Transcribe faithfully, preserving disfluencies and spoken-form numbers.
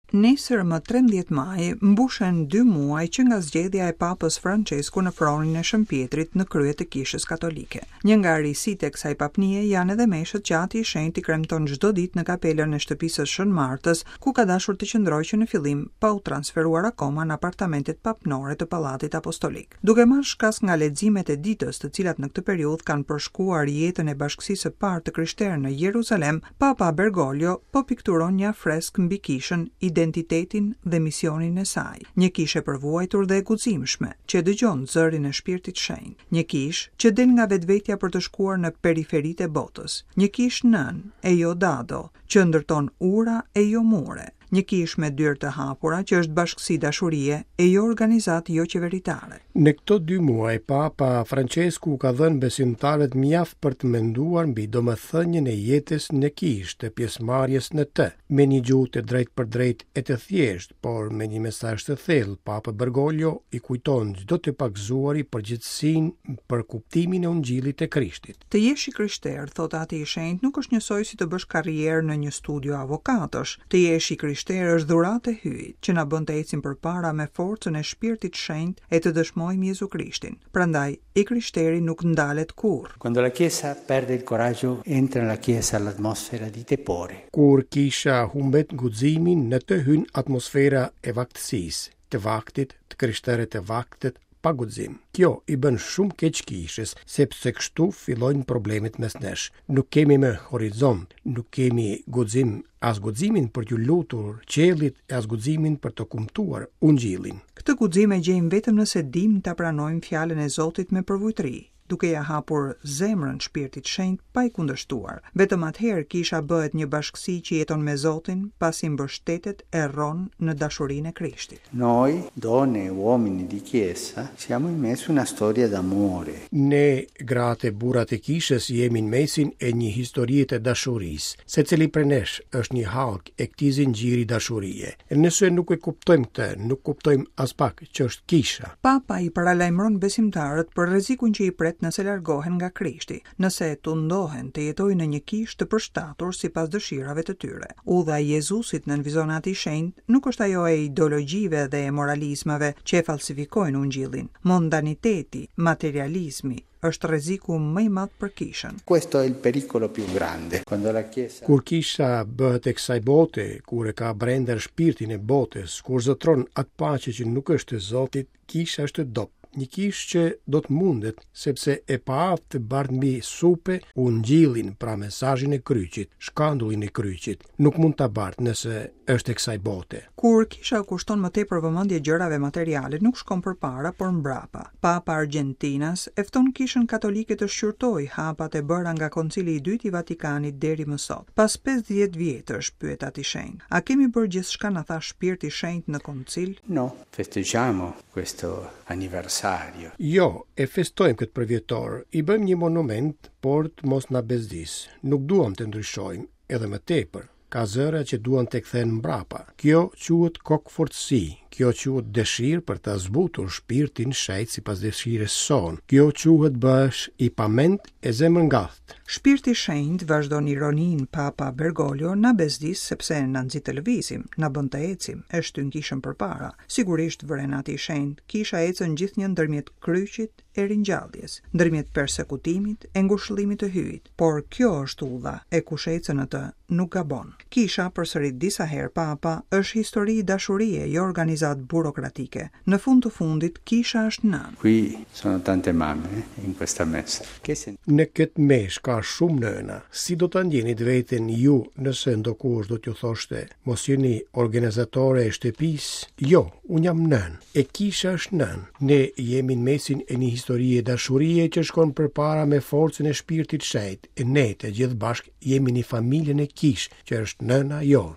Nesër, më trembëdhjetë maj, mbushen dy muaj që nga zgjedhja e Papës Francesku në fronin e Shën Pietrit në krye të Kishës Katolike. Një nga risitë e kësaj papnie janë edhe meshët që Ati i Shenjtë i kremton çdo ditë në kapelën e shtëpisë së Shën Martës, ku ka dashur të qëndrojë që në fillim, pa u transferuar akoma në apartamentet papnore të Pallatit Apostolik. Duke marrë shkas nga leximet e ditës, të cilat në këtë periudhë kanë përshkuar jetën e bashkësisë së parë të krishterë në Jeruzalem, Papa Bergoglio po pikturon një afresk mbi kishën, identitetin dhe misionin e saj. Një kishë e përvuajtur dhe e guximshme, që dëgjon zërin e Shpirtit Shenjt. Një kishë që del nga vetvetja për të shkuar në periferitë e botës. Një kishë nën e jo dado, që ndërton ura e jo mure. Një kishë me dyer të hapura, që është bashkësi dashurie e jo organizatë jo qeveritare. Në këto dy muaj, Papa Francesku ka dhënë besimtarët mjaft për të menduar mbi domethënien e jetës në kishë, të pjesëmarrjes në të, me një gjuhë të drejtë për drejtë e të thjeshtë, por me një mesazh të thellë. Papa Bergoglio i kujton çdo të pagëzuari përgjegjësinë për kuptimin e Ungjillit të Krishtit. Të jesh i krishterë, thot Ati i Shenjtë, nuk është njësoj si të bësh karrierë në një studio avokatësh. Të jesh i krishterë është dhuratë e Hyjit, që na bën të ecim përpara me forcën e Shpirtit Shenjt e të dëshmojmë Jezu Krishtin. Prandaj, i krishteri nuk ndalet kurrë. Quando la Chiesa perde il coraggio, entra nella Chiesa l'atmosfera di tepore. Kur kisha humbet guximin, në të hyn atmosfera e vaktësisë, të vaktit, të krishterët e vaktit, pa guxim. Kjo i bën shumë keq kishës, sepse kështu fillojnë problemet mes nesh. Nuk kemi më horizont, nuk kemi guxim, as guximin për t'ju lutur qiellit e as guximin për të kumtuar ungjillin. Këtë guxim e gjejmë vetëm nëse dim ta pranojmë fjalën e Zotit me përvujtëri, duke ja hapur zemrën Shpirtit Shenjt pa i kundërshtuar. Vetëm atëherë kisha bëhet një bashkësi që jeton me Zotin, pasi mbështetet e rron në dashurinë e Krishtit. Noi, donne e uomini di chiesa, siamo in mezzo a una storia d'amore. Ne, gratë e burrat e kishës, jemi në mesin e një historie të dashurisë. Secili prej nesh është një hallk e këtij zinxhiri dashurie. E nëse nuk e kuptojmë këtë, nuk kuptojmë as pak që është kisha. Papa i paralajmëron besimtarët për rrezikun që i pret nëse largohen nga Krishti, nëse tundohen të jetojnë në një kishë të përshtatur sipas dëshirave të tyre. Udha e Jezusit në vizon Ati i Shenjtë nuk është ajo e ideologjive dhe e moralizmave që e falsifikojnë ungjillin. Mondaniteti, materializmi është rreziku më i madh për kishën. Questo è il pericolo più grande. Quando la Chiesa Kur kisha bëhet e kësaj bote, kur e ka brenda shpirtin e botës, kur zotron atë paqe që nuk është e Zotit, kisha është e dobët. Një kishë që do të mundet, sepse e paaftë të bart mbi supe ungjillin, pra mesazhin e kryqit, shkandullin e kryqit, nuk mund ta bart nëse është e kësaj bote. Kur kisha kushton më tepër vëmendje gjërave materiale, nuk shkon përpara, por mbrapa. Papa Argentinas e fton kishën katolike të shqyrtojë hapat e bëra nga Koncili i Dytë i Vatikanit deri më sot. Pas pesëdhjetë vjetësh, pyet Ati Shenjt, a kemi bërë gjithçka na tha Shpirti Shenjt në koncil? No, festeggiamo questo anniversario. Jo, e festojmë këtë përvjetor, i bëjmë një monument, por të mos na bezdis. Nuk duam të ndryshojmë edhe më tepër. Ka zëra që duan të kthehen mbrapa. Kjo quhet kokfortësi, kjo quhet dëshirë për ta zbutur shpirtin shenjt sipas dëshirës sonë. Kjo quhet bëhesh i pament e zemërngath. Shpirti Shenjt, vazhdon ironin Papa Bergoglio, na bezdis sepse na nxit të lëvizim, na bën të ecim, e shtyn kishën përpara. Sigurisht, vëren Ati i Shenjt, kisha ecën gjithnjë ndërmjet kryqit e ringjalljes, ndërmjet persekutimit e ngushëllimit të Hyjit, por kjo është udha e kush ecën në të nuk gabon. Kisha, përsërit disa herë Papa, është histori dashurie, jo organizatë burokratike. Në fund të fundit, kisha është nënë. Qui sono tante mamme in questa messa. Che se Në këtë mesh ka shumë nëna. Si do ta ndjenit veten ju nëse ndokush do t'ju thoshte, mos jeni organizatore e shtëpisë? Jo, unë jam nënë. E kisha është nënë. Ne jemi në mesin e një historie dashurie që shkon përpara me forcën e shpirtit shenjt. E ne të gjithë bashkë jemi një familje në kishë, që është nëna jonë.